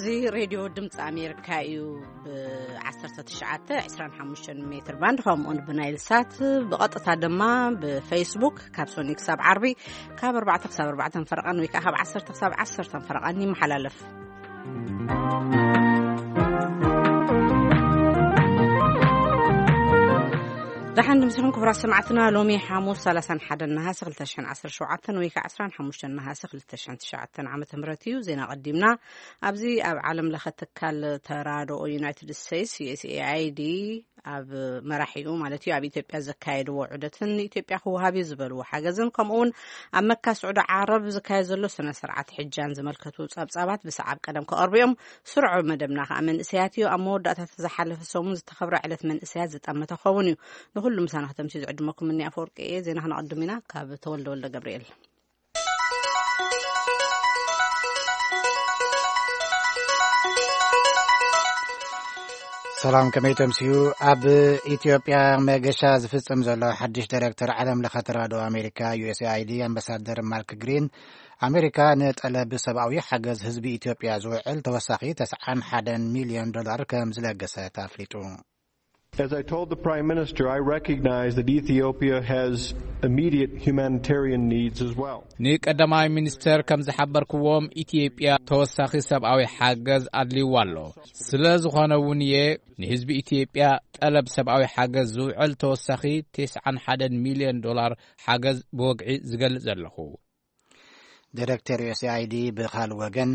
እዚ ሬድዮ ድምፂ ኣሜሪካ እዩ። ብ19፣ 25 ሜትር ባንድ፣ ከምኡውን ብናይል ሳት ብቐጥታ ድማ ብፌስቡክ ካብ ሶኒ ክሳብ ዓርቢ ካብ ኣርባዕተ ክሳብ ኣርባዕተ ፈረቓን ወይ ከዓ ካብ ዓሰርተ ክሳብ ዓሰርተ ፈረቓን ይመሓላለፍ። ደሓን ድምስኹም ክቡራት ሰማዕትና። ሎሚ ሓሙስ ሰላሳን ሓደን ነሃሰ ክልተ ሽሕን ዓሰርተ ሸውዓተን ወይ ከዓ ዕስራን ሓሙሽተን ነሃሰ ክልተ ሽሕን ትሽዓተን ዓመተ ምህረት እዩ። ዜና ቀዲምና። ኣብዚ ኣብ ዓለም ለኸ ትካል ተራድኦ ዩናይትድ ስቴትስ፣ ዩ ኤስ ኤ ኣይ ዲ፣ ኣብ መራሒኡ ማለት እዩ፣ ኣብ ኢትዮጵያ ዘካየድዎ ዑደትን ንኢትዮጵያ ክወሃብ እዩ ዝበልዎ ሓገዝን፣ ከምኡ እውን ኣብ መካ ስዑዲ ዓረብ ዝካየድ ዘሎ ስነ ስርዓት ሕጃን ዝመልከቱ ጸብጻባት ብሰዓብ ቀደም ክቐርቡ እዮም። ስሩዕ መደብና ከኣ መንእሰያት እዩ። ኣብ መወዳእታ ዝሓለፈ ሰሙን ዝተኸብረ ዕለት መንእሰያት ዝጠመተ ክኸውን እዩ። ንኹሉ ምሳና ከተምስዩ ዝዕድመኩም እኒ ኣፈወርቂ እየ። ዜና ክነቐድም ኢና ካብ ተወልደ ወልደ ገብርኤል። ሰላም፣ ከመይ ተምስዩ? ኣብ ኢትዮጵያ መገሻ ዝፍጽም ዘሎ ሓድሽ ዳይሬክተር ዓለም ለኸ ተራድኦ ኣሜሪካ፣ ዩ ኤስ ኤ ኣይ ዲ፣ ኣምባሳደር ማርክ ግሪን፣ ኣሜሪካ ንጠለብ ሰብኣዊ ሓገዝ ህዝቢ ኢትዮጵያ ዝውዕል ተወሳኺ ተስዓን ሓደን ሚልዮን ዶላር ከም ዝለገሰት ኣፍሊጡ። As I told the Prime Minister, I recognize that Ethiopia has immediate humanitarian needs as well. ንቀዳማይ ሚኒስተር ከም ዝሓበርክዎም፣ ኢትዮጵያ ተወሳኺ ሰብኣዊ ሓገዝ ኣድልይዋ ኣሎ። ስለ ዝኾነ እውን እየ ንህዝቢ ኢትዮጵያ ጠለብ ሰብኣዊ ሓገዝ ዝውዕል ተወሳኺ ተስዓን ሓደን ሚልዮን ዶላር ሓገዝ ብወግዒ ዝገልጽ ዘለኹ። ዳይሬክተር ዩ ኤስ ኤ ኣይ ዲ ብኻል ወገን፣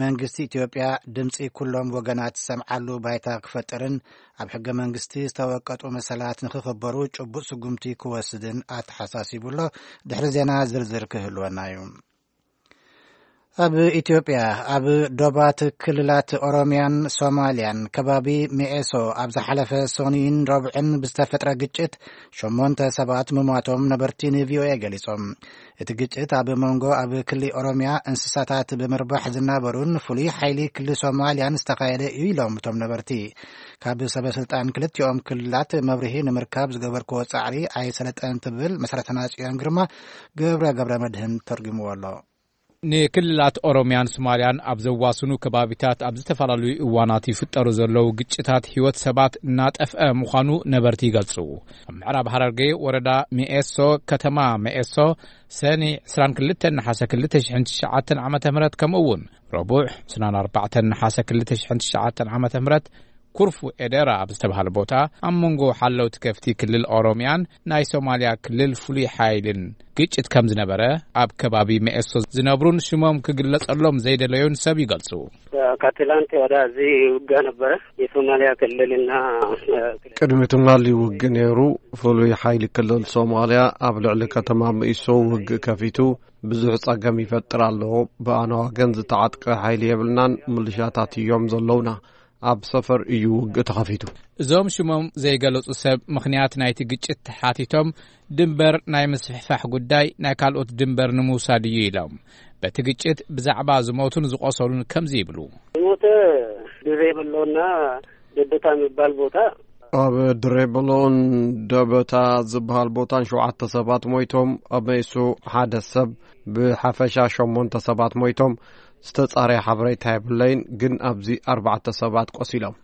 መንግስቲ ኢትዮጵያ ድምፂ ኩሎም ወገናት ዝሰምዓሉ ባይታ ክፈጥርን ኣብ ሕገ መንግስቲ ዝተወቀጡ መሰላት ንክኽበሩ ጭቡጥ ስጉምቲ ክወስድን ኣተሓሳሲቡ ኣሎ። ድሕሪ ዜና ዝርዝር ክህልወና እዩ። ኣብ ኢትዮጵያ፣ ኣብ ዶባት ክልላት ኦሮሚያን ሶማሊያን ከባቢ ሚኤሶ ኣብ ዝሓለፈ ሰኑይን ረቡዕን ብዝተፈጥረ ግጭት ሸሞንተ ሰባት ምሟቶም ነበርቲ ን ቪ ኦ ኤ ገሊጾም። እቲ ግጭት ኣብ መንጎ ኣብ ክሊ ኦሮሚያ እንስሳታት ብምርባሕ ዝናበሩን ፍሉይ ሓይሊ ክሊ ሶማሊያን ዝተኻየደ እዩ ኢሎም እቶም ነበርቲ። ካብ ሰበ ስልጣን ክልቲኦም ክልላት መብርሂ ንምርካብ ዝገበርክዎ ጻዕሪ ኣይሰለጠን ትብል መሰረትና ጽዮን ግርማ ገብረ ገብረ መድህን ተርጉምዎ ኣሎ። ንክልላት ኦሮሚያን ሶማሊያን ኣብ ዘዋስኑ ከባቢታት ኣብ ዝተፈላለዩ እዋናት ይፍጠሩ ዘለዉ ግጭታት ህይወት ሰባት እናጠፍአ ምዃኑ ነበርቲ ይገልጹ። ኣብ ምዕራብ ሃረርጌ ወረዳ ሚኤሶ፣ ከተማ ሚኤሶ፣ ሰኒ ዕስራን ክልተን ነሓሰ ክልተ ሽሕን ትሽዓተን ዓመተ ምህረት፣ ከምኡ እውን ረቡዕ ዕስራን ኣርባዕተን ነሓሰ ክልተ ሽሕን ትሽዓተን ዓመተ ምህረት፣ ኩርፉ ኤደራ ኣብ ዝተባህለ ቦታ ኣብ መንጎ ሓለውቲ ከፍቲ ክልል ኦሮሚያን ናይ ሶማሊያ ክልል ፍሉይ ሓይልን ግጭት ከም ዝነበረ ኣብ ከባቢ መኤሶ ዝነብሩን ሽሞም ክግለጸሎም ዘይደለዩን ሰብ ይገልጹ። ከትላንት ወዳ እዚ ውጋ ነበረ። የሶማሊያ ክልልና ቅድሚ ትማሊ ውግእ ነይሩ። ፍሉይ ሓይሊ ክልል ሶማሊያ ኣብ ልዕሊ ከተማ መኢሶ ውግእ ከፊቱ ብዙሕ ጸገም ይፈጥር ኣሎ። ብኣና ወገን ዝተዓጥቀ ሓይሊ የብልናን፣ ምልሻታት እዮም ዘለውና። ኣብ ሰፈር እዩ ውግእ ተኸፊቱ። እዞም ሽሞም ዘይገለጹ ሰብ ምኽንያት ናይቲ ግጭት ተሓቲቶም፣ ድንበር ናይ ምስፍሕፋሕ ጉዳይ ናይ ካልኦት ድንበር ንምውሳድ እዩ ኢሎም። በቲ ግጭት ብዛዕባ ዝሞቱን ዝቆሰሉን ከምዚ ይብሉ። ዝሞተ ድሬ በሎና ደበታ የሚባል ቦታ። ኣብ ድሬ በሎን ደበታ ዝበሃል ቦታን ሸውዓተ ሰባት ሞይቶም፣ ኣብ መይሱ ሓደ ሰብ፣ ብሓፈሻ ሸሞንተ ሰባት ሞይቶም። ዝተጻረየ ሓበሬታ የብለይን፣ ግን ኣብዚ ኣርባዕተ ሰባት ቆሲሎም።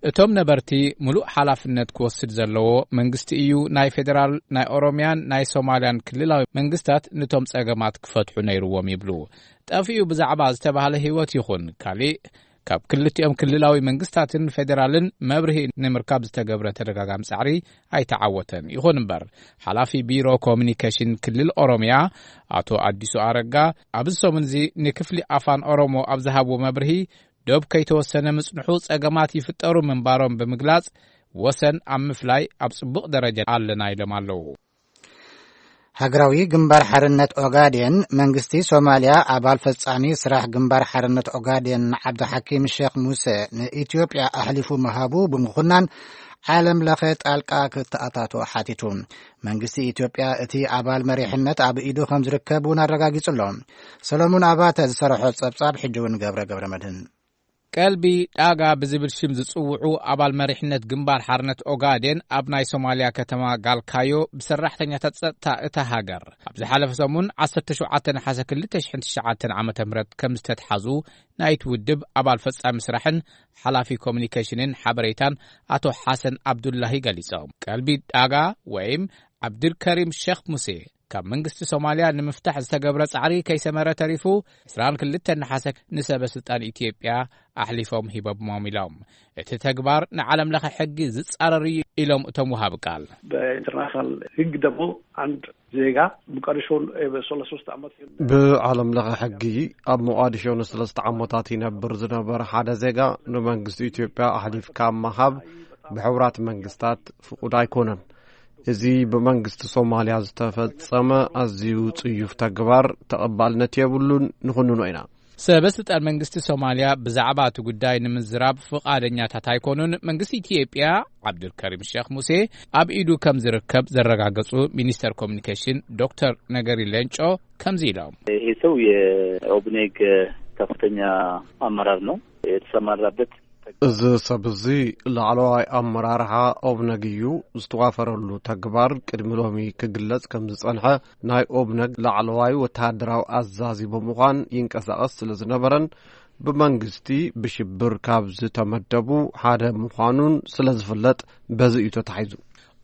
እቶም ነበርቲ፣ ምሉእ ሓላፍነት ክወስድ ዘለዎ መንግስቲ እዩ። ናይ ፌደራል፣ ናይ ኦሮሚያን ናይ ሶማልያን ክልላዊ መንግስታት ነቶም ጸገማት ክፈትሑ ነይርዎም ይብሉ። ጠፊኡ ብዛዕባ ዝተባህለ ህይወት ይኹን ካሊእ ካብ ክልቲኦም ክልላዊ መንግስታትን ፌደራልን መብርሂ ንምርካብ ዝተገብረ ተደጋጋሚ ጻዕሪ ኣይተዓወተን። ይኹን እምበር፣ ሓላፊ ቢሮ ኮሚኒኬሽን ክልል ኦሮሚያ ኣቶ ኣዲሱ ኣረጋ ኣብዚ ሰሙን እዚ ንክፍሊ ኣፋን ኦሮሞ ኣብ ዝሃብዎ መብርሂ፣ ዶብ ከይተወሰነ ምጽንሑ ጸገማት ይፍጠሩ ምንባሮም ብምግላጽ፣ ወሰን ኣብ ምፍላይ ኣብ ጽቡቕ ደረጃ ኣለና ኢሎም ኣለዉ። ሃገራዊ ግንባር ሓርነት ኦጋዴን፣ መንግስቲ ሶማልያ ኣባል ፈጻሚ ስራሕ ግንባር ሓርነት ኦጋዴን ዓብዱ ሓኪም ሼክ ሙሴ ንኢትዮጵያ ኣሕሊፉ ምሃቡ ብምኹናን ዓለም ለኸ ጣልቃ ክተኣታቶ ሓቲቱ። መንግስቲ ኢትዮጵያ እቲ ኣባል መሪሕነት ኣብ ኢዱ ከም ዝርከብ እውን ኣረጋጊጹ ኣሎ። ሰሎሙን ኣባተ ዝሰርሖ ጸብጻብ ሕጂ እውን ገብረ ገብረ መድህን። ቀልቢ ዳጋ ብዝብል ሽም ዝጽውዑ ኣባል መሪሕነት ግንባር ሓርነት ኦጋዴን ኣብ ናይ ሶማልያ ከተማ ጋልካዮ ብሰራሕተኛታት ጸጥታ እታ ሃገር ኣብ ዝሓለፈ ሰሙን ዓሰርተ ሸውዓተ ነሓሰ ክልተ ሽሕን ትሽዓተን ዓመተ ምህረት ከም ዝተትሓዙ ናይቲ ውድብ ኣባል ፈጻሚ ስራሕን ሓላፊ ኮሚኒኬሽንን ሓበሬታን ኣቶ ሓሰን ኣብዱላሂ ገሊጾም። ቀልቢ ዳጋ ወይም ዓብድልከሪም ሸኽ ሙሴ ካብ መንግስቲ ሶማልያ ንምፍታሕ ዝተገብረ ጻዕሪ ከይሰመረ ተሪፉ ዕስራን ክልተን ነሓሰ ንሰበ ስልጣን ኢትዮጵያ ኣሕሊፎም ሂቦሞም ኢሎም። እቲ ተግባር ንዓለም ለኸ ሕጊ ዝጻረር እዩ ኢሎም እቶም ወሃቢ ቃል። በኢንተርናሽናል ሕግ ደግሞ አንድ ዜጋ ሞቃዲሾን በሶስት ዓመት ብዓለም ለኸ ሕጊ ኣብ ሞቃዲሾ ንሰለስተ ዓመታት ይነብር ዝነበረ ሓደ ዜጋ ንመንግስቲ ኢትዮጵያ ኣሕሊፍካ ምሃብ ብሕቡራት መንግስታት ፍቁድ ኣይኮነን። እዚ ብመንግስቲ ሶማልያ ዝተፈጸመ ኣዝዩ ጽዩፍ ተግባር ተቐባልነት የብሉን፣ ንኹንኖ ኢና። ሰበ ስልጣን መንግስቲ ሶማልያ ብዛዕባ እቲ ጉዳይ ንምዝራብ ፍቓደኛታት ኣይኮኑን። መንግስቲ ኢትዮጵያ ዓብዱልከሪም ሸኽ ሙሴ ኣብ ኢዱ ከም ዝርከብ ዘረጋገጹ ሚኒስተር ኮሚኒኬሽን ዶክተር ነገሪ ሌንጮ ከምዚ ኢሎም። ይሄ ሰው የኦብኔግ ከፍተኛ አመራር ነው። የተሰማራበት እዚ ሰብ እዚ ላዕለዋይ ኣመራርሓ ኦብነግ እዩ። ዝተዋፈረሉ ተግባር ቅድሚ ሎሚ ክግለጽ ከም ዝጸንሐ ናይ ኦብነግ ላዕለዋይ ወተሃደራዊ ኣዛዚ ብምዃን ይንቀሳቐስ ስለ ዝነበረን ብመንግስቲ ብሽብር ካብ ዝተመደቡ ሓደ ምዃኑን ስለ ዝፍለጥ በዚ እዩ ተታሒዙ።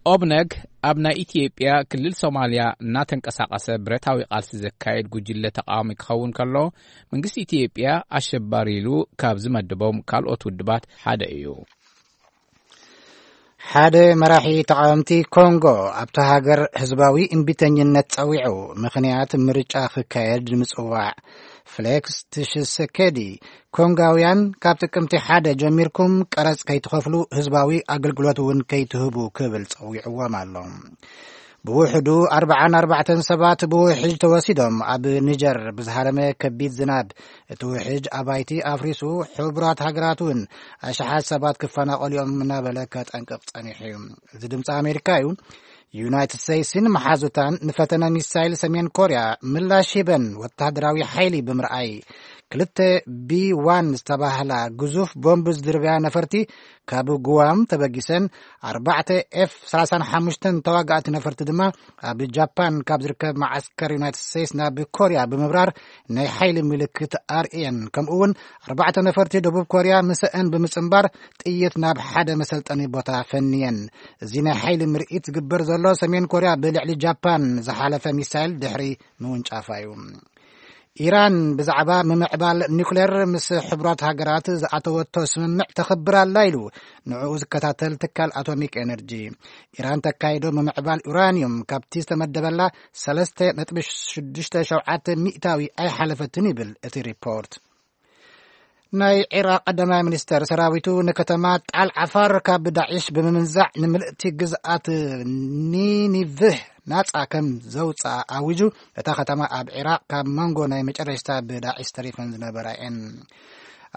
ኦብነግ ኣብ ናይ ኢትዮጵያ ክልል ሶማልያ እናተንቀሳቐሰ ብረታዊ ቃልሲ ዘካየድ ጉጅለ ተቃዋሚ ክኸውን ከሎ መንግስቲ ኢትዮጵያ ኣሸባሪ ኢሉ ካብ ዝመድቦም ካልኦት ውድባት ሓደ እዩ። ሓደ መራሒ ተቃወምቲ ኮንጎ ኣብታ ሃገር ህዝባዊ እምቢተኝነት ጸዊዑ ምኽንያት ምርጫ ክካየድ ንምጽዋዕ ፍሌክስ ትሽሰኬዲ ኮንጋውያን ካብ ጥቅምቲ ሓደ ጀሚርኩም ቀረጽ ከይትኸፍሉ ህዝባዊ ኣገልግሎት እውን ከይትህቡ ክብል ጸዊዕዎም ኣሎ። ብውሕዱ ኣርባዓን ኣርባዕተን ሰባት ብውሕጅ ተወሲዶም ኣብ ኒጀር ብዝሃረመ ከቢድ ዝናብ እቲ ውሕጅ ኣባይቲ ኣፍሪሱ ሕቡራት ሃገራት እውን ኣሽሓት ሰባት ክፈናቐሉ እዮም እናበለ ከጠንቅቕ ጸኒሑ እዩ። እዚ ድምፂ ኣሜሪካ እዩ። ዩናይትድ ስቴትስን መሓዙታን ንፈተነ ሚሳይል ሰሜን ኮርያ ምላሽ ሂበን ወታደራዊ ሓይሊ ብምርኣይ ክልተ ቢ ዋን ዝተባህላ ግዙፍ ቦምብ ዝድርብያ ነፈርቲ ካብ ጉዋም ተበጊሰን ኣርባዕተ ኤፍ ሰላሳን ሓሙሽተን ተዋጋእቲ ነፈርቲ ድማ ኣብ ጃፓን ካብ ዝርከብ መዓስከር ዩናይትድ ስቴትስ ናብ ኮርያ ብምብራር ናይ ሓይሊ ምልክት ኣርእየን። ከምኡ እውን ኣርባዕተ ነፈርቲ ደቡብ ኮርያ ምስአን ብምጽንባር ጥይት ናብ ሓደ መሰልጠኒ ቦታ ፈንየን። እዚ ናይ ሓይሊ ምርኢት ዝግበር ዘሎ ሰሜን ኮርያ ብልዕሊ ጃፓን ዝሓለፈ ሚሳይል ድሕሪ ምውንጫፋ እዩ። ኢራን ብዛዕባ ምምዕባል ኒውክሌር ምስ ሕቡራት ሃገራት ዝኣተወቶ ስምምዕ ተኽብር ኣላ ኢሉ ንዕኡ ዝከታተል ትካል ኣቶሚክ ኤነርጂ። ኢራን ተካይዶ ምምዕባል ዩራኒየም ካብቲ ዝተመደበላ ሰለስተ ነጥቢ ሽዱሽተ ሸውዓተ ሚእታዊ ኣይሓለፈትን ይብል እቲ ሪፖርት። ናይ ዒራቕ ቀዳማይ ሚኒስተር ሰራዊቱ ንከተማ ጣል ዓፋር ካብ ዳዒሽ ብምምንዛዕ ንምልእቲ ግዝኣት ኒኒቭህ ናጻ ከም ዘውፅኣ ኣዊጁ። እታ ከተማ ኣብ ዒራቕ ካብ መንጎ ናይ መጨረሽታ ብዳዒሽ ተሪፈን ዝነበራ እየን።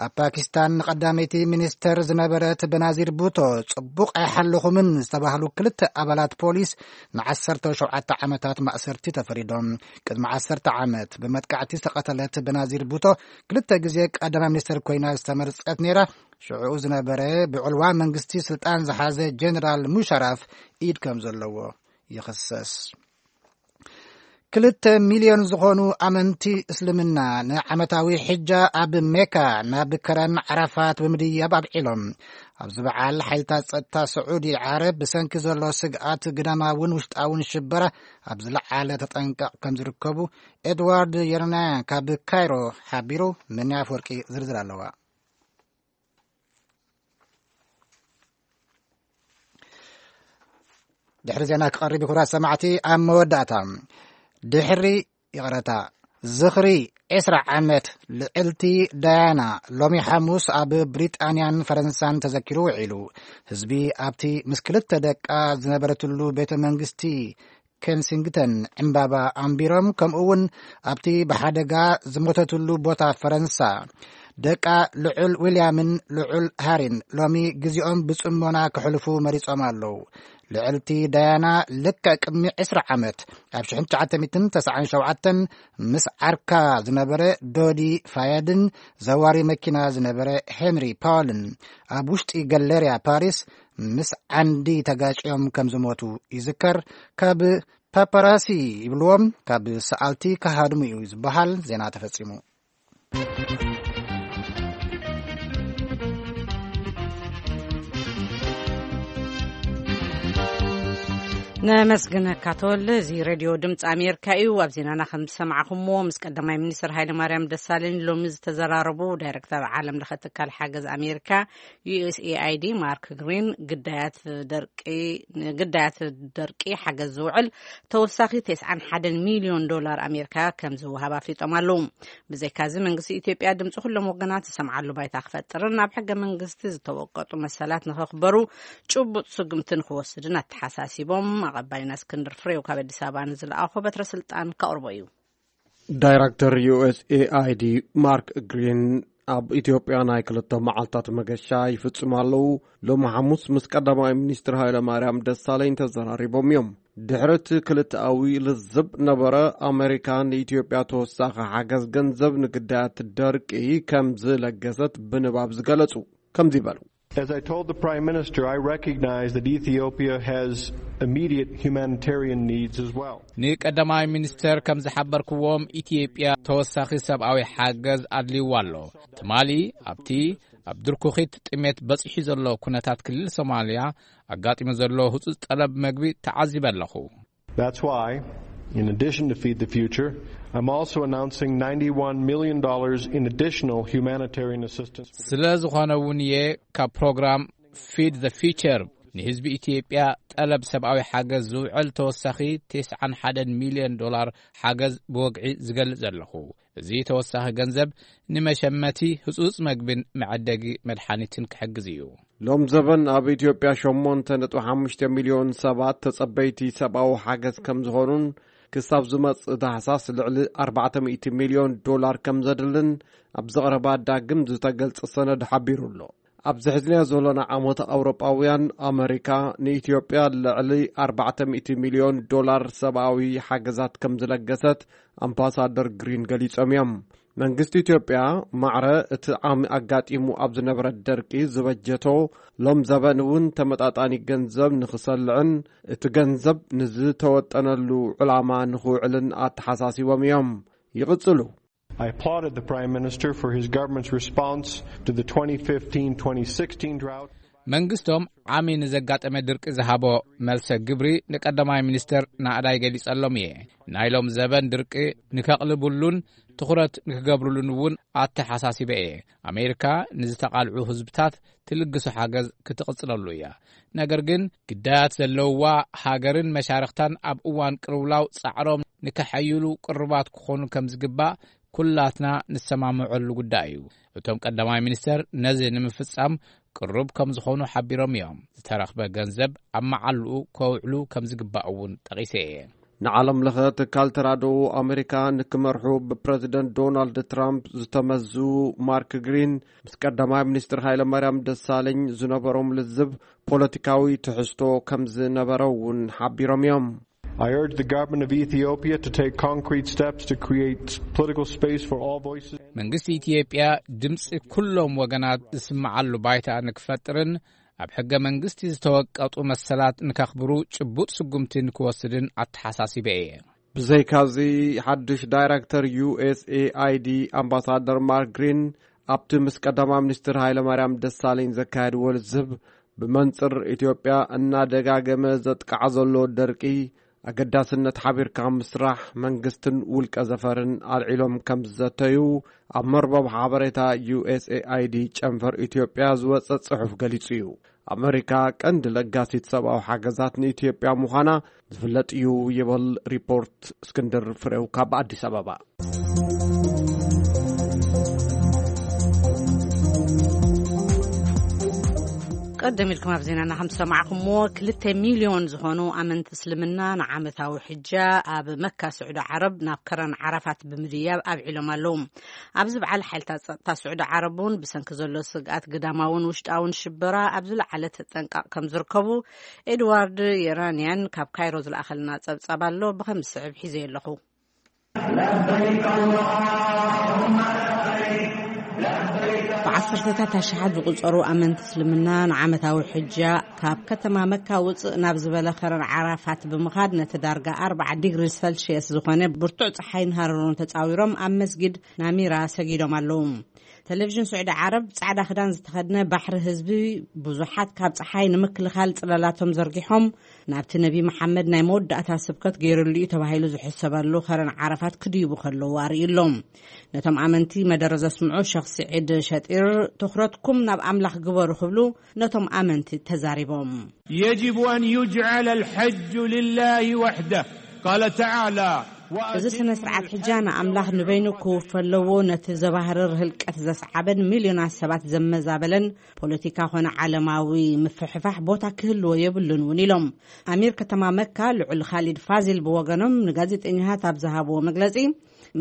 ኣብ ፓኪስታን ንቐዳመይቲ ሚኒስተር ዝነበረት በናዚር ቡቶ ጽቡቕ ኣይሓለኹምን ዝተባህሉ ክልተ ኣባላት ፖሊስ ንዓሰርተ ሸውዓተ ዓመታት ማእሰርቲ ተፈሪዶም። ቅድሚ ዓሰርተ ዓመት ብመጥቃዕቲ ዝተቐተለት በናዚር ቡቶ ክልተ ግዜ ቀዳማይ ሚኒስተር ኮይና ዝተመርጸት ነይራ። ሽዑኡ ዝነበረ ብዕልዋ መንግስቲ ስልጣን ዝሓዘ ጀነራል ሙሻራፍ ኢድ ከም ዘለዎ ይኽሰስ። ክልተ ሚልዮን ዝኾኑ ኣመንቲ እስልምና ንዓመታዊ ሕጃ ኣብ ሜካ ናብ ከረን ዓራፋት ብምድያብ ኣብዒሎም። ኣብዚ በዓል ሓይልታት ጸጥታ ስዑዲ ዓረብ ብሰንኪ ዘሎ ስግኣት ግዳማውን ውሽጣውን ሽበራ ኣብ ዝለዓለ ተጠንቀቕ ከም ዝርከቡ ኤድዋርድ የርናያ ካብ ካይሮ ሓቢሩ። ምንያ ኣፍወርቂ ዝርዝር ኣለዋ። ድሕሪ ዜና ክቐርብ እዩ። ክቡራት ሰማዕቲ፣ ኣብ መወዳእታ ድሕሪ ይቕረታ ዝኽሪ ዕስራ ዓመት ልዕልቲ ዳያና ሎሚ ሓሙስ ኣብ ብሪጣንያን ፈረንሳን ተዘኪሩ ውዒሉ። ህዝቢ ኣብቲ ምስ ክልተ ደቃ ዝነበረትሉ ቤተ መንግስቲ ኬንሲንግተን ዕምባባ ኣንቢሮም፣ ከምኡ እውን ኣብቲ ብሓደጋ ዝሞተትሉ ቦታ ፈረንሳ ደቃ ልዑል ዊልያምን ልዑል ሃሪን ሎሚ ግዜኦም ብጽሞና ክሕልፉ መሪጾም ኣለዉ። ልዕልቲ ዳያና ልክዕ ቅድሚ ዕስራ ዓመት ኣብ ሽሕን ትሽዓተ ሚእትን ተስዓን ሸውዓተን ምስ ዓርካ ዝነበረ ዶዲ ፋያድን ዘዋሪ መኪና ዝነበረ ሄንሪ ፓውልን ኣብ ውሽጢ ገለርያ ፓሪስ ምስ ዓንዲ ተጋጭዮም ከም ዝሞቱ ይዝከር። ካብ ፓፓራሲ ይብልዎም፣ ካብ ሰኣልቲ ክሃድሙ እዩ ዝበሃል። ዜና ተፈጺሙ። ነመስግነካ ተወልደ። እዚ ሬድዮ ድምፂ ኣሜሪካ እዩ። ኣብ ዜናና ከም ዝሰማዕኹምዎ፣ ምስ ቀዳማይ ሚኒስትር ሃይለ ማርያም ደሳለኝ ሎሚ ዝተዘራረቡ ዳይሬክተር ዓለም ለኸ ትካል ሓገዝ ኣሜሪካ ዩ ኤስ ኤ ኣይ ዲ ማርክ ግሪን፣ ግዳያት ደርቂ፣ ንግዳያት ደርቂ ሓገዝ ዝውዕል ተወሳኺ ተስዓን ሓደን ሚልዮን ዶላር ኣሜሪካ ከም ዝወሃብ ኣፍሊጦም ኣለዉ። ብዘይካዚ መንግስቲ ኢትዮጵያ ድምፂ ኩሎም ወገናት ዝሰምዓሉ ባይታ ክፈጥርን ኣብ ሕገ መንግስቲ ዝተወቀጡ መሰላት ንኸኽበሩ ጭቡጥ ስጉምቲ ንክወስድን ኣተሓሳሲቦም። ኣቐባይና እስክንድር ፍሬው ካብ ኣዲስ ኣበባ ንዝለኣኾ በትረ ስልጣን ከቕርቦ እዩ። ዳይረክተር ዩ ኤስ ኤ ኣይ ዲ ማርክ ግሪን ኣብ ኢትዮጵያ ናይ ክልተ መዓልታት መገሻ ይፍጽሙ ኣለዉ። ሎሚ ሓሙስ ምስ ቀዳማይ ሚኒስትር ሃይለ ማርያም ደሳለኝ ተዘራሪቦም እዮም። ድሕሪ እቲ ክልተኣዊ ልዝብ ነበረ፣ ኣመሪካ ንኢትዮጵያ ተወሳኺ ሓገዝ ገንዘብ ንግዳያት ደርቂ ከም ዝለገሰት ብንባብ ዝገለጹ ከምዚ ይበሉ። As I told the Prime Minister, I recognize that Ethiopia has immediate humanitarian needs as well. ንቀዳማይ ሚኒስተር ከም ዝሓበርክዎም፣ ኢትዮጵያ ተወሳኺ ሰብኣዊ ሓገዝ ኣድልይዋ ኣሎ። ትማሊ ኣብቲ ኣብ ድርኩኺት ጥሜት በጺሑ ዘሎ ኩነታት ክልል ሶማልያ ኣጋጢሙ ዘሎ ህጹጽ ጠለብ መግቢ ተዓዚበ ኣለኹ። That's why, in addition to Feed the Future, I'm also announcing ninety-one million dollars in additional humanitarian assistance. ስለ ዝኾነ እውን እየ ካብ ፕሮግራም ፊድ ዘ ፊቸር ንህዝቢ ኢትዮጵያ ጠለብ ሰብኣዊ ሓገዝ ዝውዕል ተወሳኺ ተስዓን ሓደን ሚልዮን ዶላር ሓገዝ ብወግዒ ዝገልጽ ዘለኹ። እዚ ተወሳኺ ገንዘብ ንመሸመቲ ህጹጽ መግብን መዐደጊ መድሓኒትን ክሕግዝ እዩ። ሎም ዘበን ኣብ ኢትዮጵያ ሸሞንተ ነጥቢ ሓሙሽተ ሚልዮን ሰባት ተጸበይቲ ሰብኣዊ ሓገዝ ከም ዝኾኑን ክሳብ ዝመጽእ ታሕሳስ ልዕሊ ኣርባዕተ ሚእቲ ሚልዮን ዶላር ከም ዘድልን ኣብ ዝቐረባ ዳግም ዝተገልጸ ሰነድ ሓቢሩ ኣሎ። ኣብዚ ሕዝንያ ዘሎና ዓመት ኣውሮጳውያን ኣመሪካ ንኢትዮጵያ ልዕሊ ኣርባዕተ ሚእቲ ሚልዮን ዶላር ሰብኣዊ ሓገዛት ከም ዝለገሰት ኣምባሳደር ግሪን ገሊጾም እዮም። መንግስቲ ኢትዮጵያ ማዕረ እቲ ዓሚ ኣጋጢሙ ኣብ ዝነበረ ደርቂ ዝበጀቶ ሎም ዘበን እውን ተመጣጣኒ ገንዘብ ንኽሰልዕን እቲ ገንዘብ ንዝተወጠነሉ ዕላማ ንኽውዕልን ኣተሓሳሲቦም እዮም። ይቕጽሉ። I applauded the Prime Minister for his government's response to the twenty fifteen twenty sixteen drought. መንግስቶም ዓሚ ንዘጋጠመ ድርቂ ዝሃቦ መልሰ ግብሪ ንቀዳማይ ሚኒስተር ናእዳይ ገሊጸሎም እየ። ናይ ሎም ዘበን ድርቂ ንከቕልብሉን ትኹረት ንክገብርሉን እውን ኣተሓሳሲበ እየ። ኣሜሪካ ንዝተቓልዑ ህዝብታት ትልግሶ ሓገዝ ክትቕጽለሉ እያ። ነገር ግን ግዳያት ዘለውዋ ሃገርን መሻርኽታን ኣብ እዋን ቅልውላው ጻዕሮም ንከሐይሉ ቅሩባት ክኾኑ ከም ዝግባእ ኩላትና ንሰማምዐሉ ጉዳይ እዩ። እቶም ቀዳማይ ሚኒስተር ነዚ ንምፍጻም ቅሩብ ከም ዝኾኑ ሓቢሮም እዮም። ዝተረኽበ ገንዘብ ኣብ መዓልኡ ከውዕሉ ከም ዝግባእ እውን ጠቒሰ እየ። ንዓለም ለኸ ትካል ተራድኦ ኣሜሪካ ንክመርሑ ብፕረዚደንት ዶናልድ ትራምፕ ዝተመዙ ማርክ ግሪን ምስ ቀዳማይ ሚኒስትር ሃይለ ማርያም ደሳለኝ ዝነበሮም ልዝብ ፖለቲካዊ ትሕዝቶ ከም ዝነበረ እውን ሓቢሮም እዮም። I urge the government of Ethiopia to take concrete steps to create political space for all voices. መንግስቲ ኢትዮጵያ ድምፂ ኩሎም ወገናት ዝስምዓሉ ባይታ ንክፈጥርን ኣብ ሕገ መንግስቲ ዝተወቀጡ መሰላት ንከኽብሩ ጭቡጥ ስጉምቲ ንክወስድን ኣተሓሳሲበ እየ። ብዘይካዚ ሓድሽ ዳይረክተር ዩ ኤስ ኤ ኣይ ዲ ኣምባሳደር ማርክ ግሪን ኣብቲ ምስ ቀዳማይ ሚኒስትር ሃይለ ማርያም ደሳለኝ ዘካየድዎ ልዝብ ብመንጽር ኢትዮጵያ እናደጋገመ ዘጥቃዕ ዘሎ ደርቂ ኣገዳስነት ሓቢርካ ምስራሕ መንግስትን ውልቀ ዘፈርን ኣልዒሎም ከም ዝዘተዩ ኣብ መርበብ ሓበሬታ ዩ ኤስ ኤ ኣይ ዲ ጨንፈር ኢትዮጵያ ዝወጸ ጽሑፍ ገሊጹ እዩ። ኣመሪካ ቀንዲ ለጋሲት ሰብኣዊ ሓገዛት ንኢትዮጵያ ምዃና ዝፍለጥ እዩ ይብል ሪፖርት እስክንድር ፍሬው ካብ ኣዲስ ኣበባ። ቀደም ኢልኩም ኣብ ዜናና ከም ዝሰማዕኩምዎ፣ ክልተ ሚልዮን ዝኾኑ ኣመንቲ እስልምና ንዓመታዊ ሕጃ ኣብ መካ ስዑዲ ዓረብ ናብ ከረን ዓራፋት ብምድያብ ኣብዒሎም ኣለዉ። ኣብዚ በዓል ሓይልታት ጸጥታ ስዑዲ ዓረብ እውን ብሰንኪ ዘሎ ስግኣት ግዳማውን ውሽጣውን ሽበራ ኣብ ዝለዓለ ተጠንቃቕ ከም ዝርከቡ ኤድዋርድ የራንያን ካብ ካይሮ ዝለኣኸልና ጸብጻብ ኣሎ፣ ብኸም ዝስዕብ ሒዘ ኣለኹ። ብዓሰርተታት ኣሽሓት ዝቑጸሩ ኣመንቲ እስልምና ንዓመታዊ ሕጃ ካብ ከተማ መካ ውጽእ ናብ ዝበለ ከረን ዓራፋት ብምኻድ ነቲ ዳርጋ ኣርባዓ ዲግሪ ሰልሽየስ ዝኾነ ብርቱዕ ጸሓይን ሃረሩን ተጻዊሮም ኣብ መስጊድ ናሚራ ሰጊዶም ኣለዉ። ቴሌቪዥን ስዑዲ ዓረብ ጻዕዳ ክዳን ዝተኸድነ ባሕሪ ህዝቢ ብዙሓት ካብ ጸሓይ ንምክልኻል ጽላላቶም ዘርጊሖም ናብቲ ነቢ መሓመድ ናይ መወዳእታ ስብከት ገይሩሉ እዩ ተባሂሉ ዝሕሰበሉ ከረን ዓረፋት ክድይቡ ከለዉ ኣርእዩ ኣሎ። ነቶም ኣመንቲ መደረ ዘስምዑ ሸኽ ስዒድ ሸጢር፣ ትኹረትኩም ናብ ኣምላኽ ግበሩ ክብሉ ነቶም ኣመንቲ ተዛሪቦም። يجب أن يجعل الحج لله وحده. قال تعالى: እዚ ስነ ስርዓት ሕጃ ንኣምላኽ ንበይኑ ክውፈ ኣለዎ። ነቲ ዘባህርር ህልቀት ዘስዓበን ሚልዮናት ሰባት ዘመዛበለን ፖለቲካ ኾነ ዓለማዊ ምፍሕፋሕ ቦታ ክህልዎ የብሉን እውን ኢሎም። ኣሚር ከተማ መካ ልዑል ኻሊድ ፋዚል ብወገኖም ንጋዜጠኛታት ኣብ ዝሃብዎ መግለጺ፣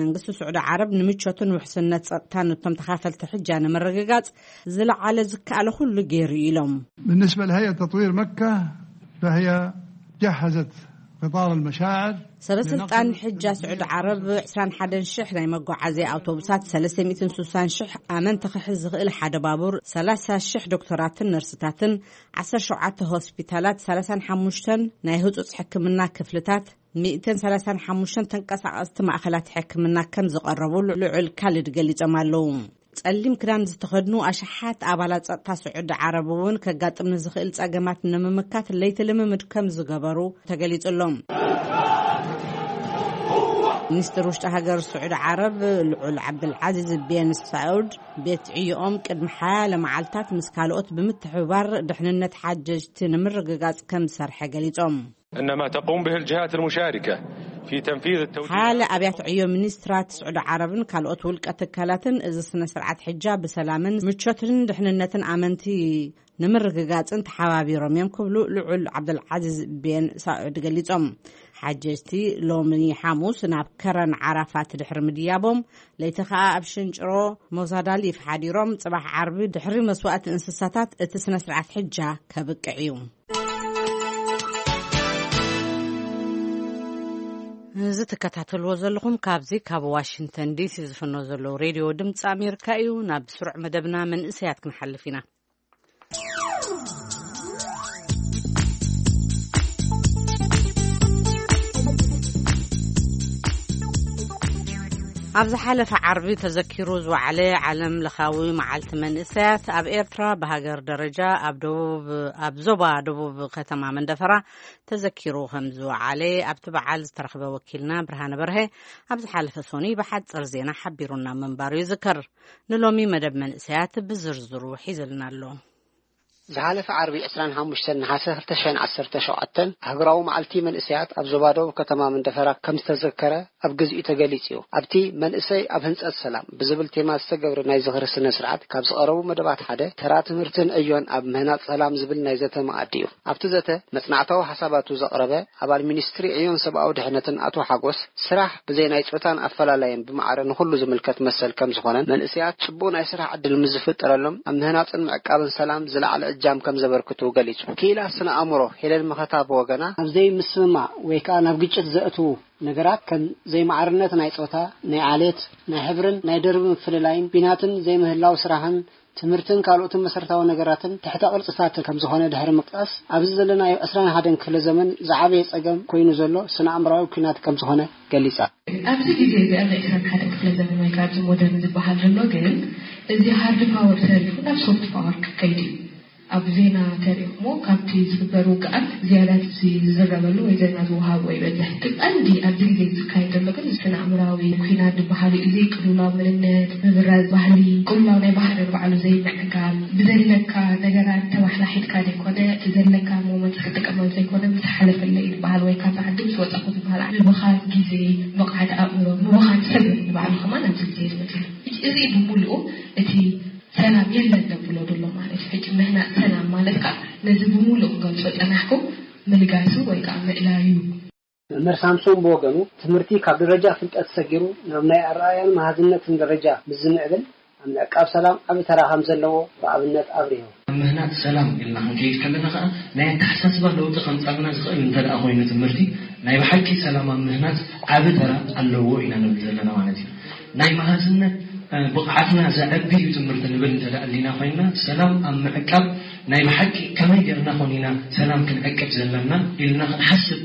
መንግስቲ ስዑዲ ዓረብ ንምቾትን ውሕስነት ጸጥታን እቶም ተኻፈልቲ ሕጃ ንምርግጋጽ ዝለዓለ ዝከኣለ ኩሉ ገይሩ ኢሎም። بالنسبة لهيئة تطوير مكة، فهي جهزت قطار المشاعر. ሰበ ስልጣን ሕጃ ስዑዲ ዓረብ ዕስራን ሓደን ሽሕ ናይ መጓዓዝያ ኣውቶቡሳት፣ ሰለስተ ሚእትን ስሳን ሽሕ ኣመንቲ ክሕዝ ዝኽእል ሓደ ባቡር፣ ሰላሳ ሽሕ ዶክተራትን ነርስታትን፣ ዓሰርተ ሸውዓተ ሆስፒታላት፣ ሰላሳን ሓሙሽተን ናይ ህጹጽ ሕክምና ክፍልታት፣ ሚእትን ሰላሳን ሓሙሽተን ተንቀሳቐስቲ ማእኸላት ሕክምና ከም ዝቐረቡ ልዑል ካሊድ ገሊጾም ኣለዉ። ጸሊም ክዳን ዝተኸድኑ ኣሽሓት ኣባላት ጸጥታ ስዑዲ ዓረብ እውን ከጋጥም ንዝኽእል ጸገማት ንምምካት ለይቲ ልምምድ ከም ዝገበሩ ተገሊጹ ኣሎ። ሚኒስትር ውሽጢ ሃገር ስዑዲ ዓረብ ልዑል ዓብዱልዓዚዝ ቤን ሳዑድ፣ ቤት ዕዮኦም ቅድሚ ሓያለ መዓልታት ምስ ካልኦት ብምትሕብባር ድሕንነት ሓጀጅቲ ንምርግጋጽ ከም ዝሰርሐ ገሊጾም። إن ما تقوم به الجهات المشاركة في تنفيذ التوجيهات. ሓያለ ኣብያተ ዕዮ ሚኒስትራት ስዑዲ ዓረብን ካልኦት ውልቀ ትካላትን እዚ ስነ ስርዓት ሕጃ ብሰላምን ምቾትን ድሕንነትን ኣመንቲ ንምርግጋጽን ተሓባቢሮም እዮም ክብሉ ልዑል ዓብደልዓዚዝ ቤን ሳዑድ ገሊጾም። ሓጀጅቲ ሎሚ ሓሙስ ናብ ከረን ዓራፋት ድሕሪ ምድያቦም፣ ለይቲ ከኣ ኣብ ሽንጭሮ ሞዛዳሊፍ ሓዲሮም፣ ጽባሕ ዓርቢ ድሕሪ መስዋእቲ እንስሳታት እቲ ስነ ስርዓት ሕጃ ከብቅዕ እዩ። እዚ ትከታተልዎ ዘለኹም ካብዚ ካብ ዋሽንግተን ዲሲ ዝፍኖ ዘለዉ ሬድዮ ድምፂ ኣሜሪካ እዩ። ናብ ስሩዕ መደብና መንእሰያት ክንሓልፍ ኢና። ኣብ ዝሓለፈ ዓርቢ ተዘኪሩ ዝወዓለ ዓለም ለኻዊ መዓልቲ መንእሰያት ኣብ ኤርትራ ብሃገር ደረጃ ኣብ ደቡብ፣ ኣብ ዞባ ደቡብ ከተማ መንደፈራ ተዘኪሩ ከም ዝወዓለ ኣብቲ በዓል ዝተረኽበ ወኪልና ብርሃነ በርሀ ኣብ ዝሓለፈ ሶኒ ብሓጽር ዜና ሓቢሩና ምንባሩ ይዝከር። ንሎሚ መደብ መንእሰያት ብዝርዝሩ ሒዝልና ኣሎ። ዝሓለፈ ዓርቢ ዕስራን ሓሙሽተን ነሓሰ ክልተ ሽሕን ዓሰርተ ሸውዓተን ኣህጉራዊ መዓልቲ መንእሰያት ኣብ ዞባ ደቡብ ከተማ መንደፈራ ከም ዝተዘከረ ኣብ ግዚኡ ተገሊጹ እዩ። ኣብቲ መንእሰይ ኣብ ህንጸት ሰላም ብዝብል ቴማ ዝተገብረ ናይ ዝኽሪ ስነ ስርዓት ካብ ዝቐረቡ መደባት ሓደ ተራ ትምህርትን ዕዮን ኣብ ምህናጽ ሰላም ዝብል ናይ ዘተ መኣዲ እዩ። ኣብቲ ዘተ መጽናዕታዊ ሓሳባቱ ዘቕረበ ኣባል ሚኒስትሪ ዕዮን ሰብኣዊ ድሕነትን ኣቶ ሓጎስ፣ ስራሕ ብዘይ ናይ ጾታን ኣፈላላይን ብማዕረ ንኹሉ ዝምልከት መሰል ከም ዝኾነን መንእሰያት ጽቡቕ ናይ ስራሕ ዕድል ምስ ዝፍጠረሎም ኣብ ምህናጽን ምዕቃብን ሰላም ዝለዓለ እጃም ከም ዘበርክቱ ገሊጹ። ክኢላ ስነ ኣእምሮ ሄለን መኸታ ብወገና፣ ኣብ ዘይምስምማዕ ወይ ከኣ ናብ ግጭት ዘእትዉ ነገራት ከም ዘይማዕርነት ናይ ጾታ፣ ናይ ዓሌት፣ ናይ ሕብርን ናይ ደርቢ ምፍልላይን፣ ኲናትን ዘይምህላው ስራሕን ትምህርትን ካልኦትን መሰረታዊ ነገራትን ትሕተ ቅርጽታት ከም ዝኾነ ድሕሪ ምጥቃስ፣ ኣብዚ ዘለናዮ ዕስራን ሓደን ክፍለ ዘመን ዝዓበየ ጸገም ኮይኑ ዘሎ ስነ ኣእምራዊ ኲናት ከም ዝኾነ ገሊጻ። ኣብዚ ግዜ እዚ ኣብ ናይ ዕስራን ሓደን ክፍለ ዘመን ወይ ከኣ ኣብዚ ሞደርን ዝበሃል ዘሎ ግን፣ እዚ ሃርድ ፓወር ተሪፉ ናብ ሶፍት ፓወር ክከይድ እዩ። ኣብ ዜና ተሪእኹሞ ካብቲ ዝግበር ውግኣት ዝያዳ እቲ ዝዝረበሉ ወይ ዜና ዝወሃብ ወይ በዝሕ። እቲ ቀንዲ ኣብዚ ግዜ ዝካየድ ዘሎ ግን ስነ ኣእምራዊ ኲናት ዝበሃል እዩ። እዚ ቅልውላው መንነት፣ ምብራዝ ባህሊ፣ ቅልውላው ናይ ባህሪ ንባዕሉ ዘይምዕጋብ፣ ብዘለካ ነገራት ተባሕላሒትካ ዘይኮነ፣ እቲ ዘለካ ሞመንት ክትጥቀመሉ ዘይኮነ፣ ምስ ሓለፈለይ ዝበሃል ወይ ካብዛ ዓዲ ምስ ወጻኹ ዝበሃል ምብኻን ግዜ፣ ብቕዓት ኣእምሮ፣ ምብኻን ሰብ ንባዕሉ ከማን ኣብዚ ግዜ ዝመጽእ። እዚ ብምሉኡ እቲ ሰላም የለን ዘብሎ ዘሎ ማለት እዩ። ሕጂ ምህናጽ ሰላም ማለት ከኣ ነዚ ብምሉእ ክገልጾ ጸናሕኩ፣ ምልጋሱ ወይ ከዓ ምእላዩ። መምህር ሳምሶን ብወገኑ፣ ትምህርቲ ካብ ደረጃ ፍልጠት ሰጊሩ ናብ ናይ ኣረኣእያን መሃዝነትን ደረጃ ምስ ዝምዕብል፣ ኣብ ምዕቃብ ሰላም ዓቢ ተራ ከም ዘለዎ ብኣብነት ኣብሪሁ። ኣብ ምህናጽ ሰላም ኢልና ክንከይድ ከለና ከኣ፣ ናይ ኣተሓሳስባ ለውጢ ከምጻልና ዝኽእል እንተ ደኣ ኮይኑ ትምህርቲ፣ ናይ ብሓቂ ሰላም ኣብ ምህናጽ ዓቢ ተራ ኣለዎ ኢና ንብል ዘለና ማለት እዩ። ናይ መሃዝነት ብቕዓትና ዘዕቢ እዩ ትምህርቲ ንብል እንተ ደኣ ኣሊና ኮይንና፣ ሰላም ኣብ ምዕቃብ ናይ ብሓቂ ከመይ ጌርና ኮን ኢና ሰላም ክንዕቅብ ዘለና ኢልና ክንሓስብ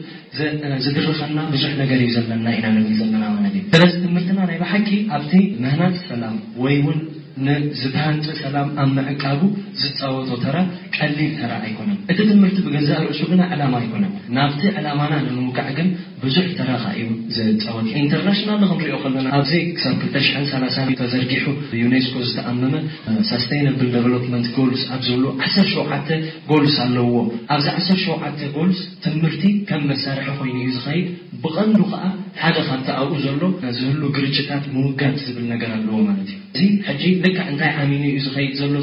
ዝድርኸና ብዙሕ ነገር እዩ ዘለና ኢና ንብል ዘለና ማለት እዩ። ስለዚ ትምህርትና ናይ ብሓቂ ኣብቲ ምህናጽ ሰላም ወይ እውን ንዝተሃንጸ ሰላም ኣብ ምዕቃቡ ዝጻወቶ ተራ ቀሊል ተራ ኣይኮነን። እቲ ትምህርቲ ብገዛእ ርእሱ ግና ዕላማ ኣይኮነን። ናብቲ ዕላማና ንምውቃዕ ግን ብዙሕ ተራ ከኣ እዩ ዝጻወት። ኢንተርናሽናል ክንሪኦ ከለና ኣብዚ ክሳብ ክልተ ሽሕን ሰላሳን ተዘርጊሑ ብዩኔስኮ ዝተኣመመ ሳስተይነብል ደቨሎፕመንት ጎልስ ኣብ ዝብሉ ዓሰርተ ሸውዓተ ጎልስ ኣለዎ። ኣብዚ ዓሰርተ ሸውዓተ ጎልስ ትምህርቲ ከም መሳርሒ ኮይኑ እዩ ዝኸይድ። ብቐንዱ ከኣ ሓደ ካብቲ ኣብኡ ዘሎ ዝህሉ ግርጭታት ምውጋድ ዝብል ነገር ኣለዎ ማለት እዩ። እዚ ሕጂ ልክዕ እንታይ ዓሚኑ እዩ ዝኸይድ ዘሎ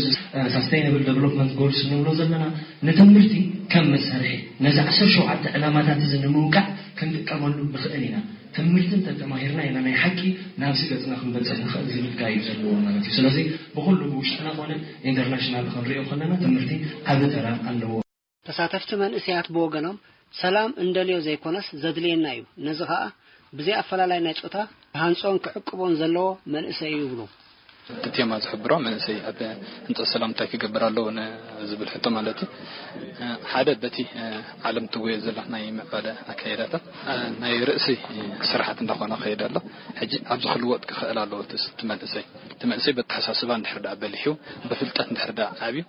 ሳስተይነብል ደቨሎፕመንት ጎልስ ንብሎ ዘለና ንትምህርቲ ከም መሳርሒ ነዚ ዓሰርተ ሸውዓተ ዕላማታት እዚ ንምውቃዕ ክንጥቀመሉ ንኽእል ኢና። ትምህርቲ እንተተማሂርና ኢና ናይ ሓቂ ናብዚ ገፅና ክንበፅሕ ንኽእል ዝብል ጋይ እዩ ዘለዎ ማለት እዩ። ስለዚ ብኩሉ ብውሽጥና ኮነ ኢንተርናሽናል ክንሪኦ ከለና ትምህርቲ ዓቢ ተራ ኣለዎ። ተሳተፍቲ መንእሰያት ብወገኖም ሰላም እንደልዮ ዘይኮነስ ዘድልየና እዩ፣ ነዚ ኸኣ ብዘይ ኣፈላላይ ናይ ጾታ ክሃንጾን ክዕቅቦን ዘለዎ መንእሰይ እዩ ይብሉ። እቲ ቴማ ዝሕብሮ መንእሰይ ኣብ ህንጸት ሰላም እንታይ ክገብር ኣለዎ ንዝብል ሕቶ ማለት እዩ። ሓደ በቲ ዓለም ትጎየ ዘላ ናይ ምዕባለ ኣካይዳታት ናይ ርእሲ ስራሓት እንዳኾነ ከይድ ኣሎ። ሕጂ ኣብዚ ክልወጥ ክኽእል ኣለዎ እቲ መንእሰይ። እቲ መንእሰይ በተሓሳስባ እንድሕር ደኣ በሊሑ ብፍልጠት እንድሕር ደኣ ዓብዩ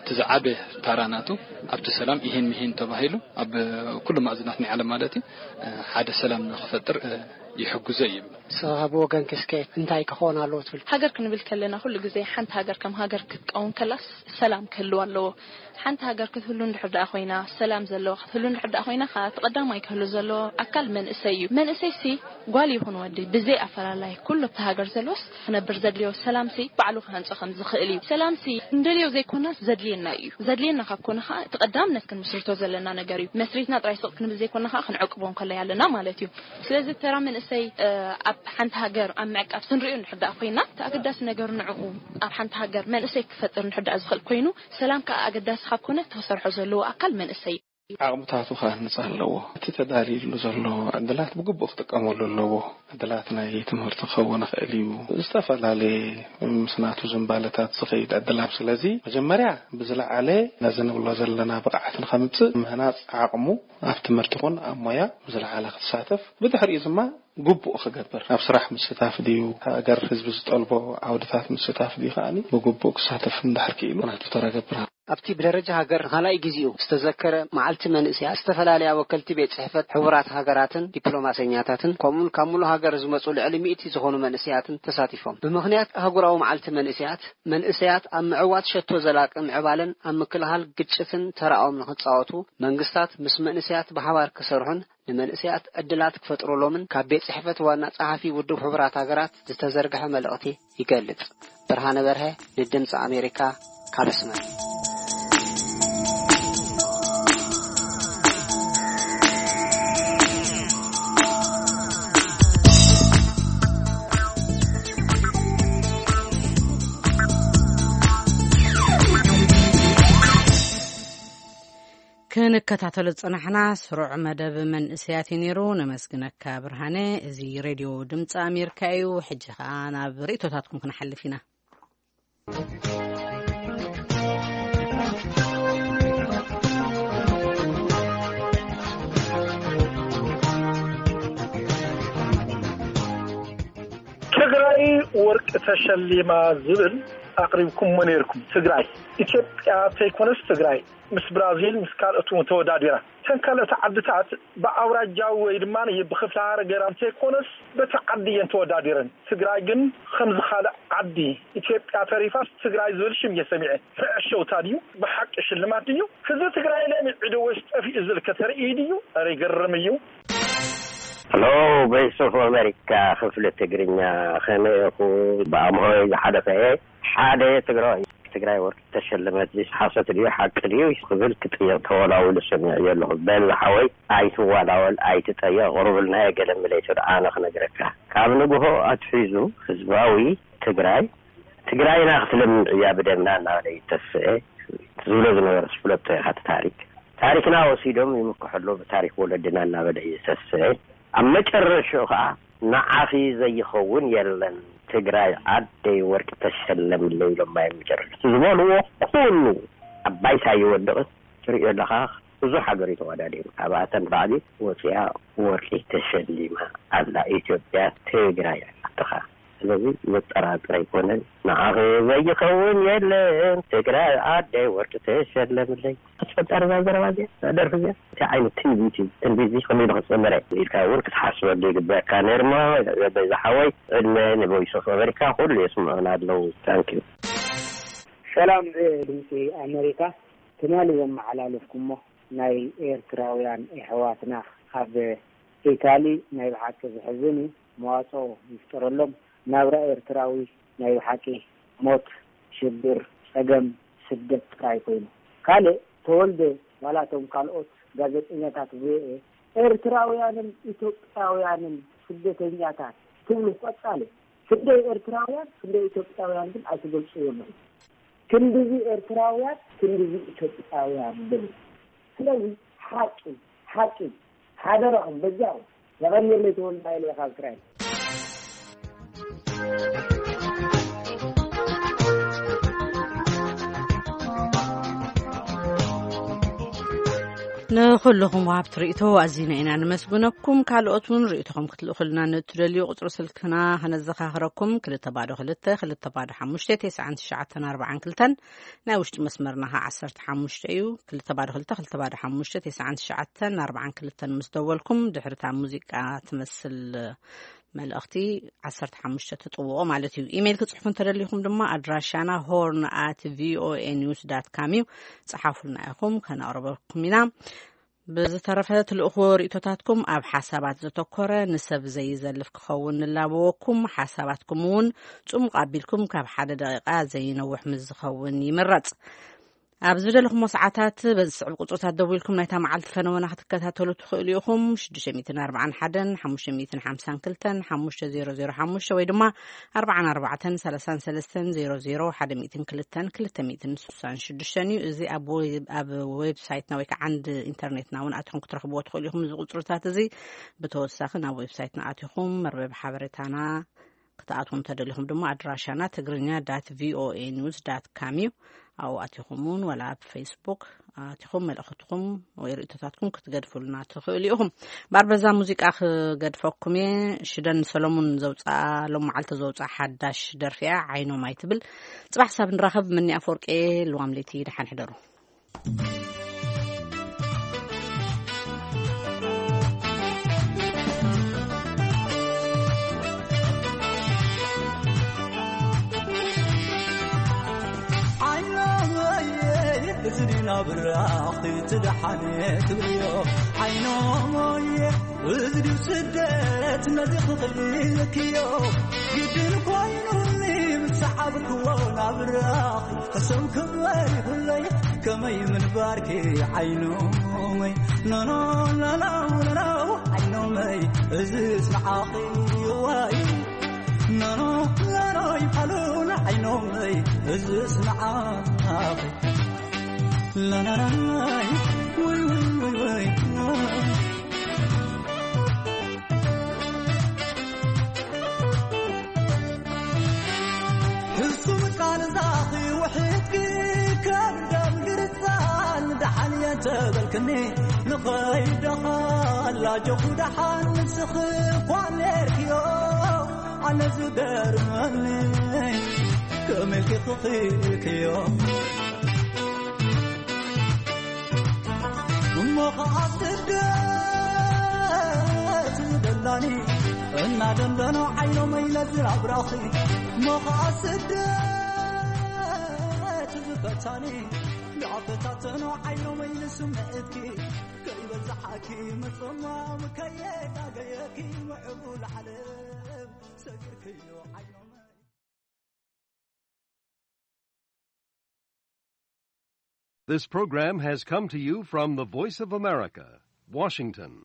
እቲ ዝዓበ ታራ ናቱ ኣብቲ ሰላም ይሄን ምሄን ተባሂሉ ኣብ ኩሉ ማእዝናት ናይ ዓለም ማለት እዩ ሓደ ሰላም ንክፈጥር ይሕግዞ እዩ። ንስኻ ብወገንኪ እስከ እንታይ ክኾን ኣለዎ ትብል? ሃገር ክንብል ከለና ኩሉ ግዜ ሓንቲ ሃገር ከም ሃገር ክትቀውም ከላስ ሰላም ክህልዋ ኣለዎ። ሓንቲ ሃገር ክትህሉ እንድሕር ደኣ ኮይና፣ ሰላም ዘለዋ ክትህሉ እንድሕር ደኣ ኮይና፣ ከኣ እቲ ቀዳማይ ክህሉ ዘለዎ ኣካል መንእሰይ እዩ። መንእሰይ ሲ ጓል ይኹን ወዲ ብዘይ ኣፈላላይ ኩሉ ኣብቲ ሃገር ዘሎስ ክነብር ዘድልዮ ሰላምሲ ባዕሉ ክሃንጾ ከም ዝኽእል እዩ። ሰላምሲ እንደልዮ ዘይኮናስ ዘድልየና እዩ። ዘድልየና ካብ ኮነ ከኣ እቲ ቀዳምነት ክንምስርቶ ዘለና ነገር እዩ። መስሪትና ጥራይ ስቕ ክንብል ዘይኮና ከኣ ክንዕቅቦ እንከለይ ኣለና ማለት እዩ። ስለዚ ተራ መንእሰይ ኣብ ሓንቲ ሃገር ኣብ ምዕቃብ ክንሪኦ እንድሕር ደኣ ኮይና እቲ ኣገዳሲ ነገር ንዕኡ ኣብ ሓንቲ ሃገር መንእሰይ ክፈጥር እንድሕር ደኣ ዝኽእል ኮይኑ ሰላም ከኣ ኣገዳሲ ካብ ኮነ እቲ ክሰርሖ ዘለዎ ኣካል መንእሰይ እዩ። ዓቕምታቱ ክሃንጽ ኣለዎ። እቲ ተዳልዩሉ ዘሎ ዕድላት ብግቡእ ክጥቀመሉ ኣለዎ። ዕድላት ናይ ትምህርቲ ክኸውን ይኽእል እዩ። ዝተፈላለየ ምስ ናቱ ዝንባለታት ዝኸይድ ዕድላት። ስለዚ መጀመርያ ብዝለዓለ ነዚ ንብሎ ዘለና ብቕዓት ንኸምጽእ ምህናጽ ዓቕሙ ኣብ ትምህርቲ ይኹን ኣብ ሞያ ብዝለዓለ ክሳተፍ፣ ብድሕሪኡ ድማ ግቡእ ክገብር ኣብ ስራሕ ምስታፍ ድዩ፣ ሃገር ህዝቢ ዝጠልቦ ዓውድታት ምስታፍ ድዩ ከኣ ብግቡእ ክሳተፍ እንድሕር ክኢሉ ናቱ ተራ ገብር። ኣብቲ ብደረጃ ሃገር ንኻልኣይ ግዜኡ ዝተዘከረ መዓልቲ መንእሰያት ዝተፈላለያ ወከልቲ ቤት ጽሕፈት ሕቡራት ሃገራትን ዲፕሎማሰኛታትን ከምኡውን ካብ ሙሉእ ሃገር ዝመጹ ልዕሊ ሚእቲ ዝኾኑ መንእሰያትን ተሳቲፎም። ብምኽንያት ኣህጉራዊ መዓልቲ መንእሰያት፣ መንእሰያት ኣብ ምዕዋት ሸቶ ዘላቂ ምዕባለን ኣብ ምክልኻል ግጭትን ተራኦም ንኽጻወቱ መንግስታት ምስ መንእሰያት ብሓባር ክሰርሑን ንመንእሰያት ዕድላት ክፈጥሩሎምን ካብ ቤት ጽሕፈት ዋና ጸሓፊ ውድብ ሕቡራት ሃገራት ዝተዘርግሐ መልእኽቲ ይገልጽ። ብርሃነ በርሀ ንድምጺ ኣሜሪካ ካብ ኣስመራ። ክንከታተሎ ዝጸናሕና ስሩዕ መደብ መንእሰያት እዩ ነይሩ። ነመስግነካ ብርሃነ። እዚ ሬድዮ ድምፂ ኣሜሪካ እዩ። ሕጂ ኸኣ ናብ ርእቶታትኩም ክንሓልፍ ኢና። ትግራይ ወርቂ ተሸሊማ ዝብል ኣቕሪብኩሞ ነይርኩም። ትግራይ ኢትዮጵያ ተይኮነስ ትግራይ ምስ ብራዚል ምስ ካልኦት እውን ተወዳዲራ። እተን ካልኦት ዓድታት ብኣውራጃዊ ወይ ድማ ብክፍለ ሃገር እንተይኮነስ በቲ ዓዲ እየን ተወዳዲረን። ትግራይ ግን ከምዚ ካልእ ዓዲ ኢትዮጵያ ተሪፋስ ትግራይ ዝብል ሽም እየ ሰሚዐ። ፍዕሸውታ ድዩ? ብሓቂ ሽልማት ድዩ? ህዝቢ ትግራይ ለሚዑ ዶ ወይስ ጠፊኡ ዝብል ከተርኢ ድዩ? ኧረ ይገርም እዩ። ሄሎ፣ ቮይስ ኦፍ ኣሜሪካ ክፍሊ ትግርኛ፣ ከመይ ኢኹ? ብኣምሆይ ዝሓለፈ እየ ሓደ ትግራዋይ። ትግራይ ወርቂ ተሸለመት፣ እዚ ሓሶት ድዩ ሓቂ ድዩ ክብል ክጥየቕ ተወላዊሉ ሰሚዐዮ ኣለኹ። በል ዝሓወይ ኣይትዋላወል፣ ኣይትጠየቕ፣ ቕሩብልና የገለምለይ፣ ኣነ ክነግረካ። ካብ ንግሆ ኣትሒዙ ህዝባዊ ትግራይ ትግራይና ክትለምዕ እያ ብደምና እናበለ ይተስኤ ዝብሎ ዝነበረ ዝፍለጦ ኢኻ። እቲ ታሪክ ታሪክና ወሲዶም ይምክሑ ኣለዉ ብታሪክ ወለድና እናበለ እዩ ዝተስኤ። ኣብ መጨረሽኡ ከዓ ንዓኺ ዘይኸውን የለን ትግራይ ዓደይ ወርቂ ተሸለምለይ ኢሎም ማይ መጨረሻ ዝበልዎ ኩሉ ኣብ ባይታ ይወድቕ ትርእዮ ኣለኻ። ብዙሕ ሃገር እዩ ተወዳዲሩ። ካብኣተን ባዕዲ ወፂኣ ወርቂ ተሸሊማ ኣላ ኢትዮጵያ ትግራይ ኣላትኻ። ስለዚ ዘጠራጥር ኣይኮነን። ንዓኺ ዘይኸውን የለን ትግራይ ዓደይ ወርቂ ተሸለምለይ። ኣስፈጣሪ እዛ ዘረባ እዚኣ፣ እዛ ደርፊ እዚኣ እንታይ ዓይነት ትንቢት እዩ? ትንቢት እዚ ከመይ ኢሉ ክፅምረ ኢልካ እውን ክትሓስበሉ ይግበካ ነይርሞ። በዛ ሓወይ ዕድመ ንቮይስ ኦፍ ኣሜሪካ ኩሉ የስምዑና ኣለዉ። ታንኪዩ። ሰላም ድምፂ ኣሜሪካ። ትማሊ ዘመሓላለፍኩሞ ናይ ኤርትራውያን ኣሕዋትና ኣብ ኢታሊ ናይ ብሓቂ ዘሕዝን እዩ። መዋፅኦ ይፍጠረሎም። ናብራ ኤርትራዊ ናይ ብሓቂ ሞት፣ ሽግር፣ ፀገም፣ ስደት ጥራይ ኮይኑ። ካልእ ተወልደ ዋላ እቶም ካልኦት ጋዜጠኛታት ቪኦኤ ኤርትራውያንን ኢትዮጵያውያንን ስደተኛታት ትብሉ ቀጻሊ ክንደይ ኤርትራውያን ክንደይ ኢትዮጵያውያን ግን ኣይትገልጽዎምን። ክንድዚ ኤርትራውያን ክንድዚ ኢትዮጵያውያን ግን። ስለዚ ሓቂ ሓቂ ሓደራኹም በጃኹም። የቐንየለይ ተወልደ ሃይለ ካብ እስራኤል። ንኹልኹም ወሃብቲ ርእይቶ ኣዚና ኢና ንመስግነኩም። ካልኦት እውን ርእይቶኹም ክትልእኹልና ንእትደልዩ ቁጽሪ ስልክና ከነዘኻኽረኩም፣ ክልተ ባዶ ክልተ፣ ክልተ ባዶ ሓሙሽተ፣ ተስዓን ትሽዓተን ኣርባዓን ክልተን፣ ናይ ውሽጢ መስመርና ኸዓ ዓሰርተ ሓሙሽተ እዩ። ክልተ ባዶ ክልተ፣ ክልተ ባዶ ሓሙሽተ፣ ተስዓን ትሽዓተን ኣርባዓን ክልተን ምስ ደወልኩም፣ ድሕሪ እታ ሙዚቃ ትመስል መልእኽቲ ዓሰርተ ሓሙሽተ ትጥውቑ ማለት እዩ። ኢሜይል ክጽሕፉ እንተደሊኹም ድማ ኣድራሻና ሆርን ኣት ቪኦኤ ኒውስ ዳት ካም እዩ። ጸሓፉልና ኢኹም፣ ከነቕርበልኩም ኢና። ብዝተረፈ ትልእኽዎ ርእይቶታትኩም ኣብ ሓሳባት ዘተኮረ፣ ንሰብ ዘይዘልፍ ክኸውን ንላበወኩም። ሓሳባትኩም እውን ጽሙቕ ኣቢልኩም ካብ ሓደ ደቂቓ ዘይነውሕ ምስ ዝኸውን ይምረጽ። ኣብ ዝደለኹሞ ሰዓታት በዚ ዝስዕብ ቁጽርታት ደዊልኩም ናይታ መዓልቲ ፈነወና ክትከታተሉ ትኽእሉ ኢኹም። ሽዱሽተ ሚእትን ኣርባዓን ሓደን፣ ሓሙሽተ ሚእትን ሓምሳን ክልተን፣ ሓሙሽተ ዜሮ ዜሮ ሓሙሽተ ወይ ድማ ኣርባዓን ኣርባዕተን፣ ሰላሳን ሰለስተን፣ ዜሮ ዜሮ፣ ሓደ ሚእትን ክልተን፣ ክልተ ሚእትን ስሳን ሽዱሽተን እዩ። እዚ ኣብ ዌብ-፣ ኣብ ዌብሳይትና ወይ ከዓ ዓንዲ ኢንተርኔትና እውን ኣትኹም ክትረኽብዎ ትኽእሉ ኢኹም። እዚ ቁጽርታት እዚ ብተወሳኺ ናብ ዌብሳይትና ኣቲኹም መርበብ ሓበሬታና ክትኣትዉ እንተደሊኹም ድማ ኣድራሻና ትግርኛ ዳት ቪኦኤ ኒውስ ዳት ካም እዩ። ኣብኡ ኣቲኹም እውን ዋላ ኣብ ፌስቡክ ኣቲኹም መልእኽትኩም ወይ ርእይቶታትኩም ክትገድፉልና ትኽእሉ ኢኹም። እምበኣር በዛ ሙዚቃ ክገድፈኩም እየ። ሽደን ሰሎሙን ዘውፅኣ፣ ሎም መዓልቲ ዘውፅኣ ሓዳሽ ደርፊ እያ፣ ዓይኖም ኣይትብል። ፅባሕ ሳብ ንራኸብ። ምኒ ኣፈወርቂ፣ ልዋም ለይቲ፣ ደሓን ሕደሩ። ዓይኖመየ፣ እዚ ድዩ ናብ ራኽቲ ትደሓን ትብልዮ? ዓይኖመየ፣ እዚ ድዩ ስደት ነዚ ክኽልክዮ? ግድን ኮይኑኒ ምስ ሰዓብክዎ ናብ ራኽቲ ሕሱም ክበይ ኩለይ ከመይ ምንባርኪ ዓይኖመይ፣ ኖኖ፣ ኖኖ፣ ኖኖ፣ ዓይኖመይ፣ እዚ ስምዓኺ ዋይ፣ ኖኖ፣ ኖኖ፣ ይፋሉን ዓይኖመይ፣ እዚ ስምዓኺ፣ ላላላይ፣ ወይ፣ ወይ፣ ወይ፣ ወይ። ሕሱም ቃል ዛኺ ውሕድኪ ከም ደም ግርጻን ደሓን እየ ተበልክኒ፣ ንኸይደኻ ኣላጆኹ ደሓን ንስኺ እኳ ኔርክዮ። ኣነ ዝገርመኒ ከመይ ኢልኪ ክኽኢልክዮ? እሞ ኸዓ ስደት ዝደላኒ እናደንደኖ ዓይኖመይ ነዚ ኣብራኺ። እሞ ኸዓ ስደት ዝፈታኒ እንዳፈታተኖ ዓይኖመይ ንስምዒትኪ ከይበዝሓኪ ምጽማም ከየጋገየኪ ምዕቡል ዓለም ሰጊርክዮ ዓይኖመይ። This program has come to you from the Voice of America, Washington.